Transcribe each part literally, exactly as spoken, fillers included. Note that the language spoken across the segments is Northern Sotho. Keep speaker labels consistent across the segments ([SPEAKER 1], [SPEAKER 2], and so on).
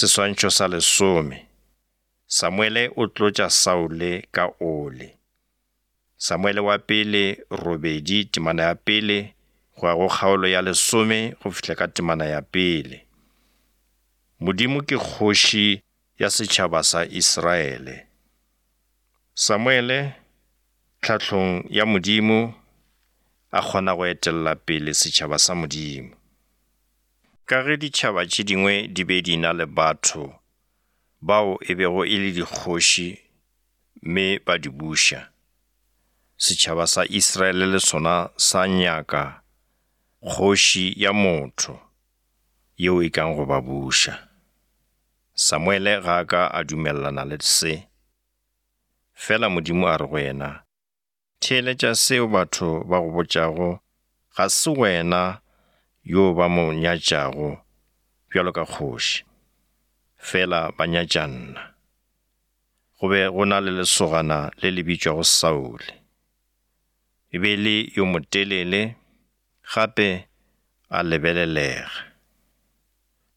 [SPEAKER 1] Seswantšho sa lesome. Samuele o tlotša Saule ka oli. Samuele wa pele robedi temana ya pele go ya go kgaolo ya lesome go fihla ka temana ya pele. Modimo ke kgoši ya setšhaba sa Israele. Samuele tlhahlong ya Modimo a kgona go etella pele setšhaba sa Modimo. Ka ge ditšhaba tše dingwe di be di na le batho bao e bego e le dikgoši mme ba di buša, setšhaba sa Israele le sona sa nyaka kgoši ya motho yeo e kang go ba buša. Samuele ga a ka a dumelelana le se, fela Modimo a re go yena, theeletša seo batho ba go botšago, ga se wena yo ba mo nyatšago bjalo ka kgoši, fela ba nyatša nna. Go be go na le lesogana le le bitšwago Saule. E be le yo motelele, gape a lebelelega.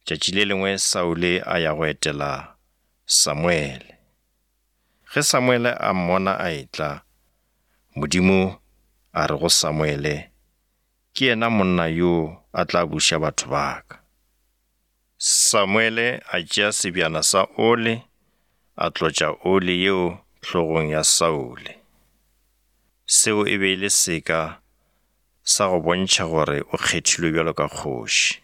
[SPEAKER 1] Tšatši le lengwe Saule a ya go etela Samuele. Ge Samuele a mmona a etla, Modimo a re go Samuele, ke yena monna yo a tla buša batho ba ka. Samuele a tšea sebjana sa oli, a tlotša oli yeo hlogong ya Saule. Seo e be e le seka sa go bontšha gore o kgethilwe bjalo ka kgoši.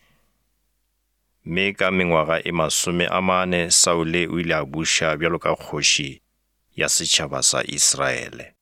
[SPEAKER 1] Mme ka mengwaga e masome a mane Saule o ile a buša bjalo ka kgoši ya setšhaba sa Israele.